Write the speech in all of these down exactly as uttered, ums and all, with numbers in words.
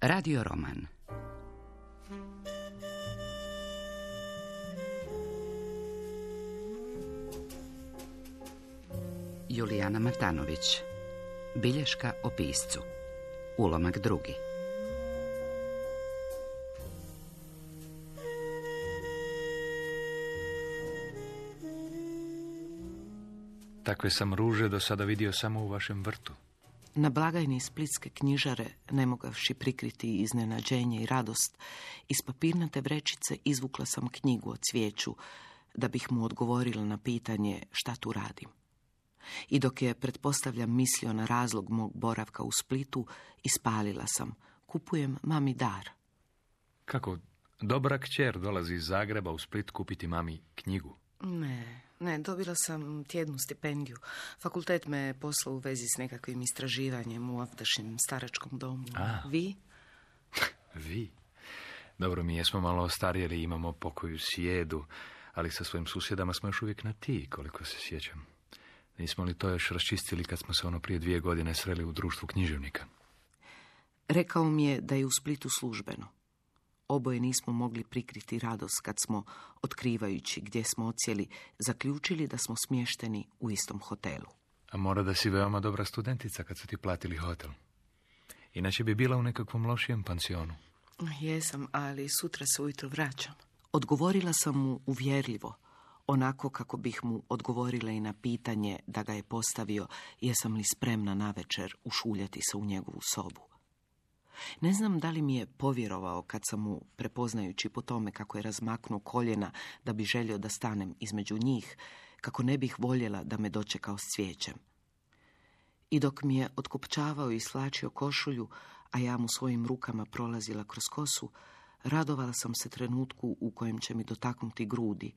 Radio roman. Julijana Matanović. Bilješka o piscu. Ulomak drugi. Takve sam ruže do sada vidio samo u vašem vrtu. Na blagajni splitske knjižare, ne mogavši prikriti iznenađenje i radost, iz papirnate vrećice izvukla sam knjigu o cvijeću, da bih mu odgovorila na pitanje šta tu radim. I dok je, pretpostavljam, mislio na razlog mog boravka u Splitu, ispalila sam: kupujem mami dar. Kako dobra kćer dolazi iz Zagreba u Split kupiti mami knjigu? Ne, ne, dobila sam tjednu stipendiju. Fakultet me je poslao u vezi s nekakvim istraživanjem u ovdašnjem staračkom domu. A. Vi? Vi? Dobro, mi jesmo malo ostarijeli, imamo pokoju sjedu, ali sa svojim susjedama smo još uvijek na ti, koliko se sjećam. Nismo li to još raščistili kad smo se ono prije dvije godine sreli u društvu književnika? Rekao mi je da je u Splitu službeno. Oboje nismo mogli prikriti radost kad smo, otkrivajući gdje smo odsjeli, zaključili da smo smješteni u istom hotelu. A mora da si veoma dobra studentica kad su ti platili hotel. Inače bi bila u nekakvom lošijem pansionu. Jesam, ali sutra se ujutro vraćam. Odgovorila sam mu uvjerljivo, onako kako bih mu odgovorila i na pitanje da ga je postavio jesam li spremna navečer ušuljati se u njegovu sobu. Ne znam da li mi je povjerovao kad sam mu, prepoznajući po tome kako je razmaknuo koljena da bi želio da stanem između njih, kako ne bih voljela da me dočekao s cvijećem. I dok mi je otkopčavao i slačio košulju, a ja mu svojim rukama prolazila kroz kosu, radovala sam se trenutku u kojem će mi dotaknuti grudi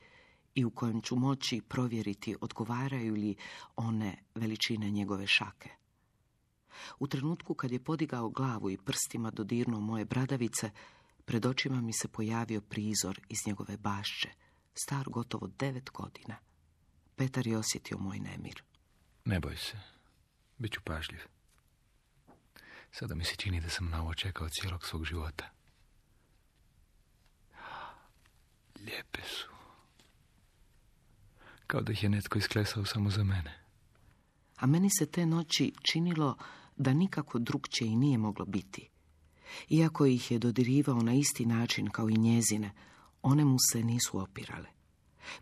i u kojem ću moći provjeriti odgovaraju li one veličine njegove šake. U trenutku kad je podigao glavu i prstima dodirnuo moje bradavice, pred očima mi se pojavio prizor iz njegove bašče, star gotovo devet godina. Petar je osjetio moj nemir. Ne boj se, bit ću pažljiv. Sada mi se čini da sam na ovo čekao cijelog svog života. Lijepe su. Kao da ih je netko isklesao samo za mene. A meni se te noći činilo da nikako drugčije i nije moglo biti. Iako ih je dodirivao na isti način kao i njezine, one mu se nisu opirale.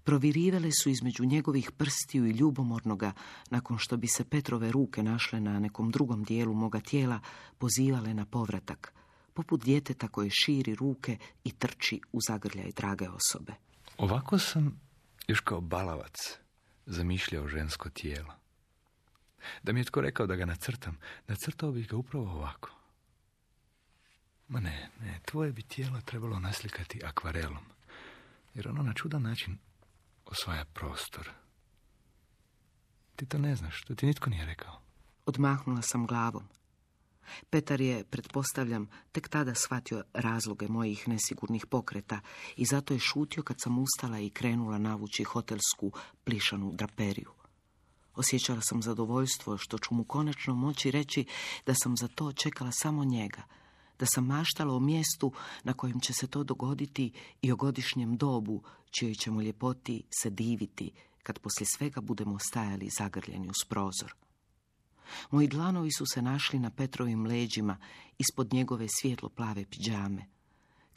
Provirivale su između njegovih prstiju i ljubomornoga, nakon što bi se Petrove ruke našle na nekom drugom dijelu moga tijela, pozivale na povratak, poput djeteta koje širi ruke i trči u zagrljaj drage osobe. Ovako sam, još kao balavac, zamišljao žensko tijelo. Da mi je tko rekao da ga nacrtam, nacrtao bih ga upravo ovako. Ma ne, ne, tvoje bi tijelo trebalo naslikati akvarelom, jer ono na čudan način osvaja prostor. Ti to ne znaš, to ti nitko nije rekao. Odmahnula sam glavom. Petar je, pretpostavljam, tek tada shvatio razloge mojih nesigurnih pokreta i zato je šutio kad sam ustala i krenula navući hotelsku plišanu draperiju. Osjećala sam zadovoljstvo što ću mu konačno moći reći da sam za to čekala samo njega, da sam maštala o mjestu na kojem će se to dogoditi i o godišnjem dobu čijoj ćemo ljepoti se diviti kad poslije svega budemo stajali zagrljeni uz prozor. Moji dlanovi su se našli na Petrovim leđima ispod njegove svjetlo plave pidžame.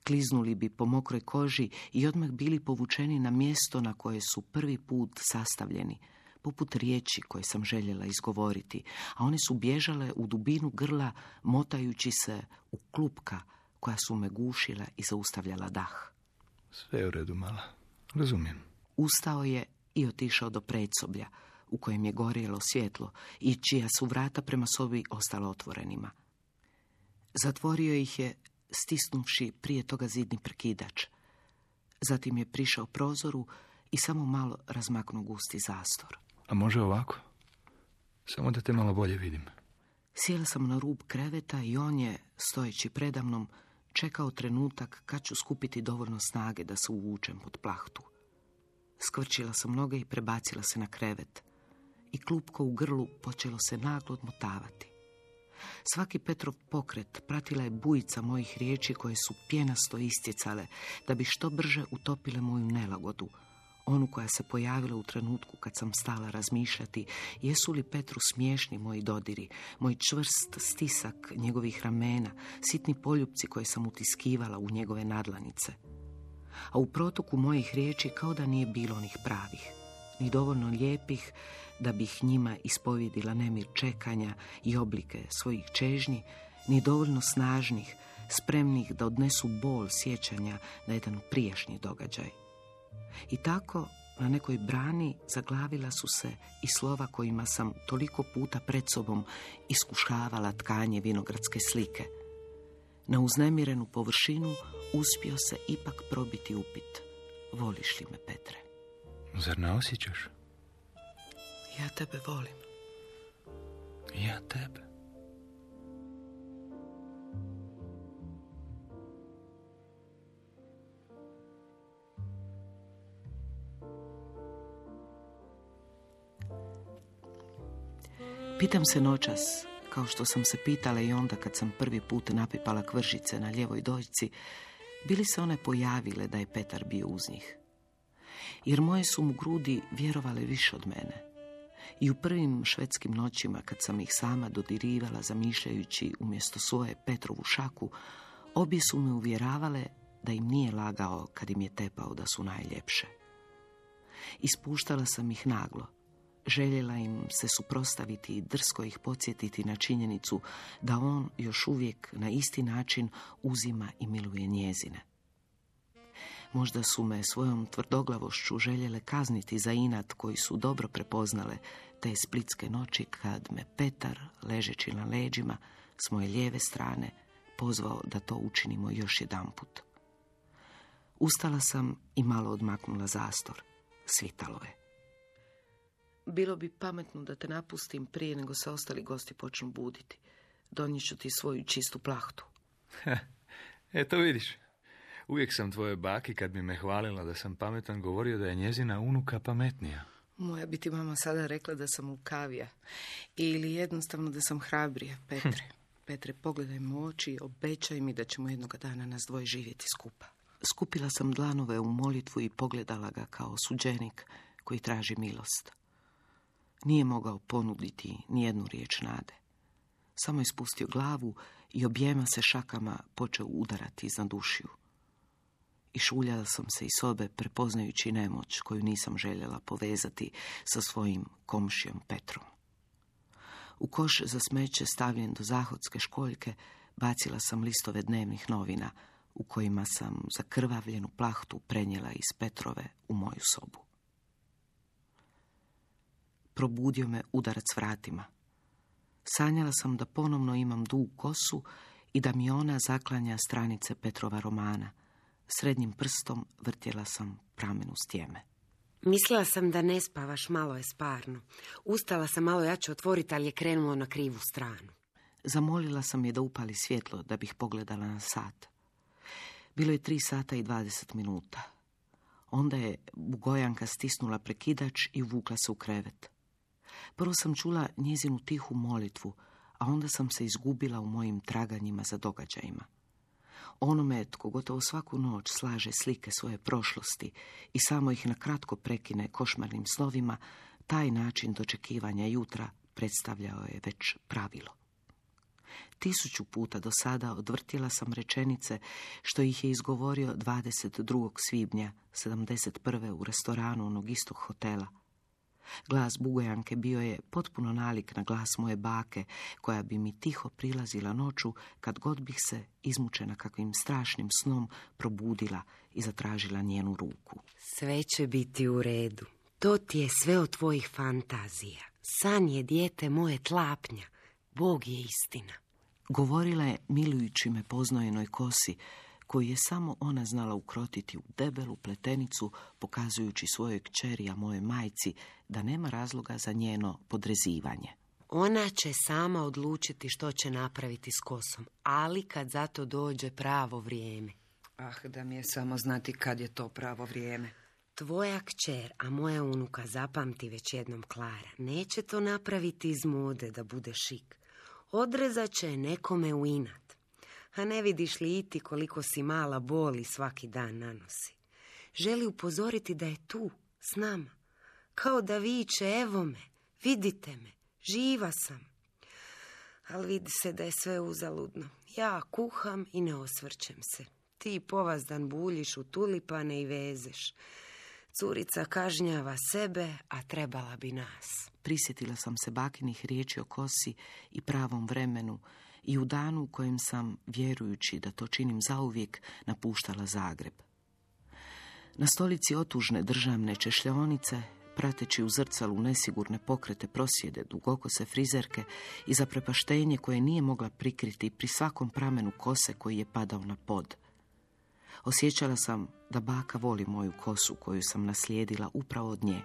Kliznuli bi po mokroj koži i odmah bili povučeni na mjesto na koje su prvi put sastavljeni, poput riječi koje sam željela izgovoriti, a one su bježale u dubinu grla, motajući se u klupka koja su me gušila i zaustavljala dah. Sve je u redu, mala. Razumijem. Ustao je i otišao do predsoblja, u kojem je gorjelo svjetlo i čija su vrata prema sobi ostala otvorenima. Zatvorio ih je, stisnuvši prije toga zidni prekidač. Zatim je prišao prozoru i samo malo razmaknuo gusti zastor. A može ovako? Samo da te malo bolje vidim. Sjela sam na rub kreveta i on je, stojeći predamnom, čekao trenutak kad ću skupiti dovoljno snage da se uvučem pod plahtu. Skvrčila sam noge i prebacila se na krevet. I klupko u grlu počelo se naglo odmotavati. Svaki Petrov pokret pratila je bujica mojih riječi koje su pjenasto istjecale, da bi što brže utopile moju nelagodu. Onu koja se pojavila u trenutku kad sam stala razmišljati jesu li Petru smiješni moji dodiri, moj čvrst stisak njegovih ramena, sitni poljupci koje sam utiskivala u njegove nadlanice. A u protoku mojih riječi kao da nije bilo onih pravih, ni dovoljno lijepih da bih njima ispovjedila nemir čekanja i oblike svojih čežnji, ni dovoljno snažnih, spremnih da odnesu bol sjećanja na jedan prijašnji događaj. I tako, na nekoj brani zaglavila su se i slova kojima sam toliko puta pred sobom iskušavala tkanje vinogradske slike. Na uznemirenu površinu uspio se ipak probiti upit. Voliš li me, Petre? Zar ne osjećaš? Ja tebe volim. Ja tebe. Pitam se noćas, kao što sam se pitala i onda kad sam prvi put napipala kvržice na ljevoj dojci, bili se one pojavile da je Petar bio uz njih. Jer moje su mu grudi vjerovale više od mene. I u prvim švedskim noćima, kad sam ih sama dodirivala zamišljajući umjesto svoje Petrovu šaku, obje su me uvjeravale da im nije lagao kad im je tepao da su najljepše. Ispuštala sam ih naglo. Željela im se suprotstaviti i drsko ih podsjetiti na činjenicu da on još uvijek na isti način uzima i miluje njezine. Možda su me svojom tvrdoglavošću željele kazniti za inat koji su dobro prepoznale te splitske noći kad me Petar, ležeći na leđima s moje lijeve strane, pozvao da to učinimo još jedanput. Ustala sam i malo odmaknula zastor. Svitalo je. Bilo bi pametno da te napustim prije nego se ostali gosti počnu buditi. Donijet ću ti svoju čistu plahtu. Eto vidiš, uvijek sam tvojoj baki kad bi me hvalila da sam pametan govorio da je njezina unuka pametnija. Moja bi ti mama sada rekla da sam lukavija. Ili jednostavno da sam hrabrija, Petre. Petre, pogledaj me u oči i obećaj mi da ćemo jednoga dana nas dvoje živjeti skupa. Skupila sam dlanove u molitvu i pogledala ga kao suđenik koji traži milost. Nije mogao ponuditi nijednu riječ nade. Samo je spustio glavu i objema se šakama počeo udarati iznad ušiju. I šuljala sam se iz sobe prepoznajući nemoć koju nisam željela povezati sa svojim komšijom Petrom. U koš za smeće stavljen do zahodske školjke bacila sam listove dnevnih novina u kojima sam zakrvavljenu plahtu prenijela iz Petrove u moju sobu. Probudio me udarac vratima. Sanjala sam da ponovno imam dugu kosu i da mi ona zaklanja stranice Petrova romana. Srednjim prstom vrtjela sam pramenu stjeme. Mislila sam da ne spavaš, malo je sparno. Ustala sam malo jače otvoriti, ali je krenulo na krivu stranu. Zamolila sam je da upali svjetlo da bih pogledala na sat. Bilo je tri sata i dvadeset minuta. Onda je Bugojanka stisnula prekidač i uvukla se u krevet. Prvo sam čula njezinu tihu molitvu, a onda sam se izgubila u mojim traganjima za događajima. Onome tko gotovo svaku noć slaže slike svoje prošlosti i samo ih na kratko prekine košmarnim snovima, taj način dočekivanja jutra predstavljao je već pravilo. Tisuću puta do sada odvrtjela sam rečenice što ih je izgovorio dvadeset drugog svibnja sedamdeset prve u restoranu onog istog hotela. Glas Bugojanke bio je potpuno nalik na glas moje bake, koja bi mi tiho prilazila noću kad god bih se, izmučena kakvim strašnim snom, probudila i zatražila njenu ruku. Sve će biti u redu. To ti je sve od tvojih fantazija. San je dijete moje tlapnja. Bog je istina. Govorila je milujući me poznojenoj kosi, koju je samo ona znala ukrotiti u debelu pletenicu, pokazujući svojoj kćeri, a moje majci, da nema razloga za njeno podrezivanje. Ona će sama odlučiti što će napraviti s kosom, ali kad za to dođe pravo vrijeme. Ah, da mi je samo znati kad je to pravo vrijeme. Tvoja kćer, a moja unuka, zapamti već jednom, Klara, neće to napraviti iz mode da bude šik. Odrezat će nekome u inat. A ne vidiš li i ti koliko si mala boli svaki dan nanosi? Želi upozoriti da je tu, s nama. Kao da viče, evo me, vidite me, živa sam. Ali vidi se da je sve uzaludno. Ja kuham i ne osvrćem se. Ti povazdan buljiš u tulipane i vezeš. Curica kažnjava sebe, a trebala bi nas. Prisjetila sam se bakinih riječi o kosi i pravom vremenu i u danu u kojem sam, vjerujući da to činim zauvijek, napuštala Zagreb. Na stolici otužne državne češljaonice, prateći u zrcalu nesigurne pokrete prosjede dugokose frizerke i zaprepaštenje koje nije mogla prikriti pri svakom pramenu kose koji je padao na pod. Osjećala sam da baka voli moju kosu koju sam naslijedila upravo od nje.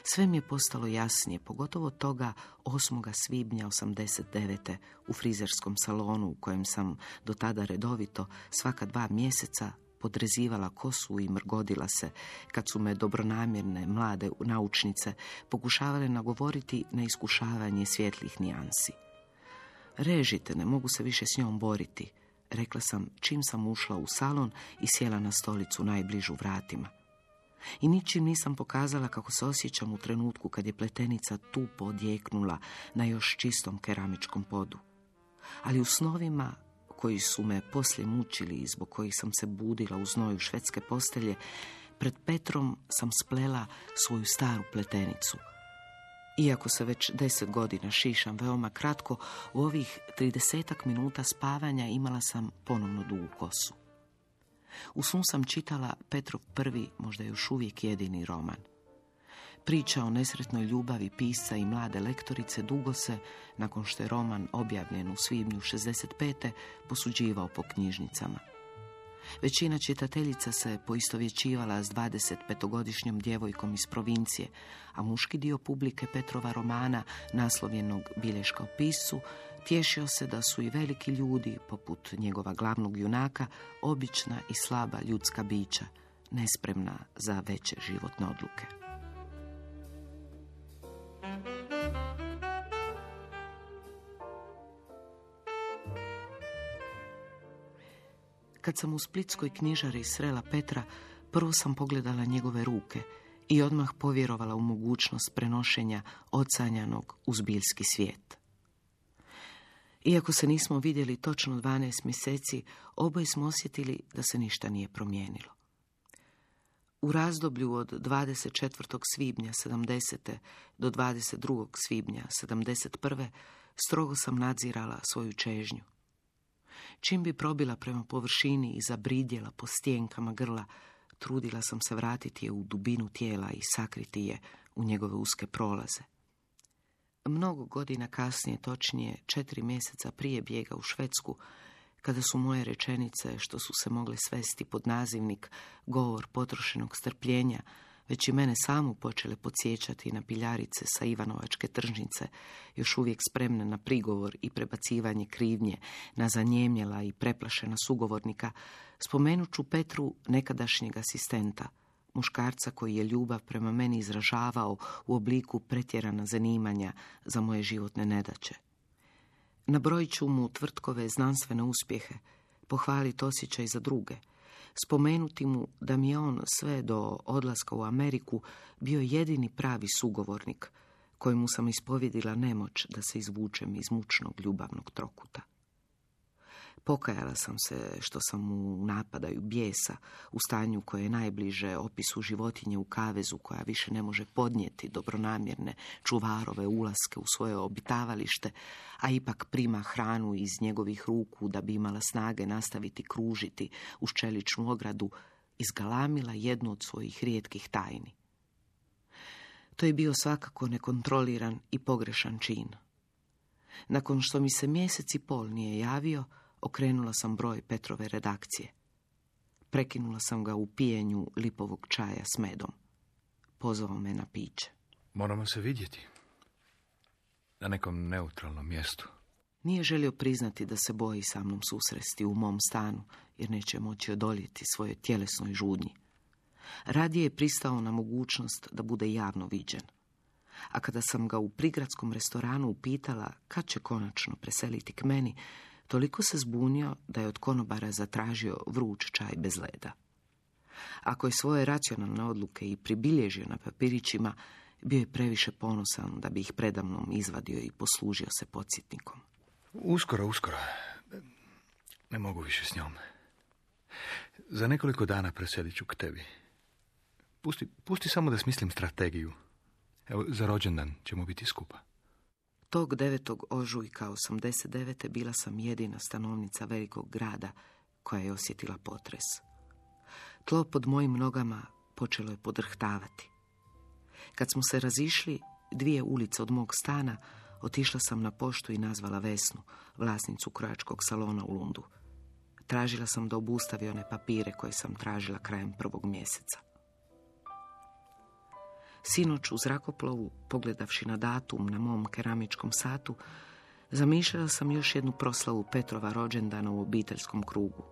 Sve mi je postalo jasnije, pogotovo toga osmog svibnja osamdeset devete u frizerskom salonu u kojem sam do tada redovito svaka dva mjeseca podrezivala kosu i mrgodila se kad su me dobronamjerne mlade naučnice pokušavale nagovoriti na iskušavanje svjetlih nijansi. Režite, ne mogu se više s njom boriti, rekla sam čim sam ušla u salon i sjela na stolicu najbližu vratima. I ničim nisam pokazala kako se osjećam u trenutku kad je pletenica tupo odjeknula na još čistom keramičkom podu. Ali u snovima koji su me poslije mučili i zbog kojih sam se budila u znoju švedske postelje, pred Petrom sam splela svoju staru pletenicu. Iako se već deset godina šišam veoma kratko, u ovih tridesetak minuta spavanja imala sam ponovno dugu kosu. U snu sam čitala Petrov prvi, možda još uvijek jedini roman. Priča o nesretnoj ljubavi pisca i mlade lektorice dugo se, nakon što je roman objavljen u svibnju šezdeset pete, posuđivao po knjižnicama. Većina čitateljica se poistovjećivala s dvadesetpetogodišnjom djevojkom iz provincije, a muški dio publike Petrova romana, naslovljenog Bilješka o piscu, tješio se da su i veliki ljudi, poput njegova glavnog junaka, obična i slaba ljudska bića, nespremna za veće životne odluke. Kad sam u splitskoj knjižari srela Petra, prvo sam pogledala njegove ruke i odmah povjerovala u mogućnost prenošenja ocanjanog u zbiljski svijet. Iako se nismo vidjeli točno dvanaest mjeseci, oboje smo osjetili da se ništa nije promijenilo. U razdoblju od dvadeset četvrtog svibnja sedamdesete do dvadeset drugog svibnja sedamdeset prve strogo sam nadzirala svoju čežnju. Čim bi probila prema površini i zabridjela po stjenkama grla, trudila sam se vratiti je u dubinu tijela i sakriti je u njegove uske prolaze. Mnogo godina kasnije, točnije četiri mjeseca prije bijega u Švedsku, kada su moje rečenice, što su se mogle svesti pod nazivnik govor potrošenog strpljenja, već i mene samu počele podsjećati na piljarice sa Ivanovačke tržnice, još uvijek spremne na prigovor i prebacivanje krivnje na zanjemjela i preplašena sugovornika, spomenut ću Petru nekadašnjeg asistenta, muškarca koji je ljubav prema meni izražavao u obliku pretjerana zanimanja za moje životne nedaće. Nabrojit ću mu tvrtkove znanstvene uspjehe, pohvaliti osjećaj za druge, spomenuti mu da mi je on sve do odlaska u Ameriku bio jedini pravi sugovornik kojemu sam ispovjedila nemoć da se izvučem iz mučnog ljubavnog trokuta. Pokajala sam se što sam u napadaju bijesa, u stanju koje je najbliže opisu životinje u kavezu koja više ne može podnijeti dobronamjerne čuvarove ulaske u svoje obitavalište, a ipak prima hranu iz njegovih ruku da bi imala snage nastaviti kružiti uz čeličnu ogradu, izgalamila jednu od svojih rijetkih tajni. To je bio svakako nekontroliran i pogrešan čin. Nakon što mi se mjesec i pol nije javio, okrenula sam broj Petrove redakcije. Prekinula sam ga u pijenju lipovog čaja s medom. Pozvao me na piće. Moramo se vidjeti. Na nekom neutralnom mjestu. Nije želio priznati da se boji sa mnom susresti u mom stanu, jer neće moći odoljeti svoje tjelesnoj žudnji. Radije je pristao na mogućnost da bude javno viđen. A kada sam ga u prigradskom restoranu upitala kad će konačno preseliti k meni, toliko se zbunio da je od konobara zatražio vruć čaj bez leda. Ako je svoje racionalne odluke i pribilježio na papirićima, bio je previše ponosan da bi ih predamnom izvadio i poslužio se podsjetnikom. Uskoro, uskoro. Ne mogu više s njom. Za nekoliko dana preselit ću k tebi. Pusti, pusti samo da smislim strategiju. Evo, za rođendan ćemo biti skupa. Tog devetog ožujka osamdeset devete bila sam jedina stanovnica velikog grada koja je osjetila potres. Tlo pod mojim nogama počelo je podrhtavati. Kad smo se razišli, dvije ulice od mog stana, otišla sam na poštu i nazvala Vesnu, vlasnicu krojačkog salona u Lundu. Tražila sam da obustavi one papire koje sam tražila krajem prvog mjeseca. Sinoć u zrakoplovu, pogledavši na datum na mom keramičkom satu, zamišljala sam još jednu proslavu Petrova rođendana u obiteljskom krugu.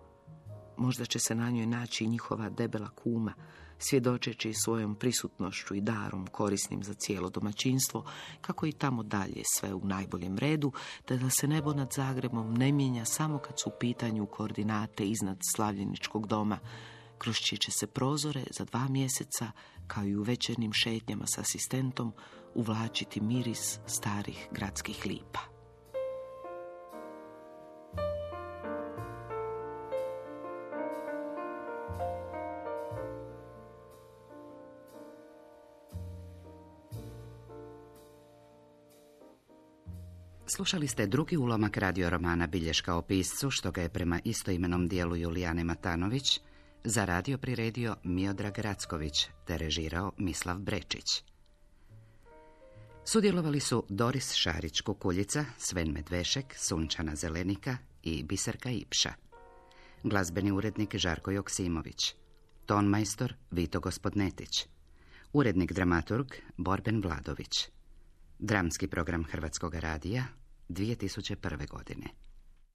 Možda će se na njoj naći njihova debela kuma, svjedočeći svojom prisutnošću i darom korisnim za cijelo domaćinstvo, kako i tamo dalje sve u najboljem redu, te da se nebo nad Zagrebom ne mijenja samo kad su u pitanju koordinate iznad slavljeničkog doma, kroz čije će se prozore za dva mjeseca, kao i u večernjim šetnjama s asistentom, uvlačiti miris starih gradskih lipa. Slušali ste drugi ulomak radioromana Bilješka o piscu, što ga je prema istoimenom dijelu Julijane Matanović za radio priredio Miodrag Racković te režirao Mislav Brečić. Sudjelovali su Doris Šarić-Kukuljica, Sven Medvešek, Sunčana Zelenika i Biserka Ipša. Glazbeni urednik Žarko Joksimović. Tonmajstor Vito Gospodnetić. Urednik dramaturg Borben Vladović. Dramski program Hrvatskog radija dvije tisuće prve godine.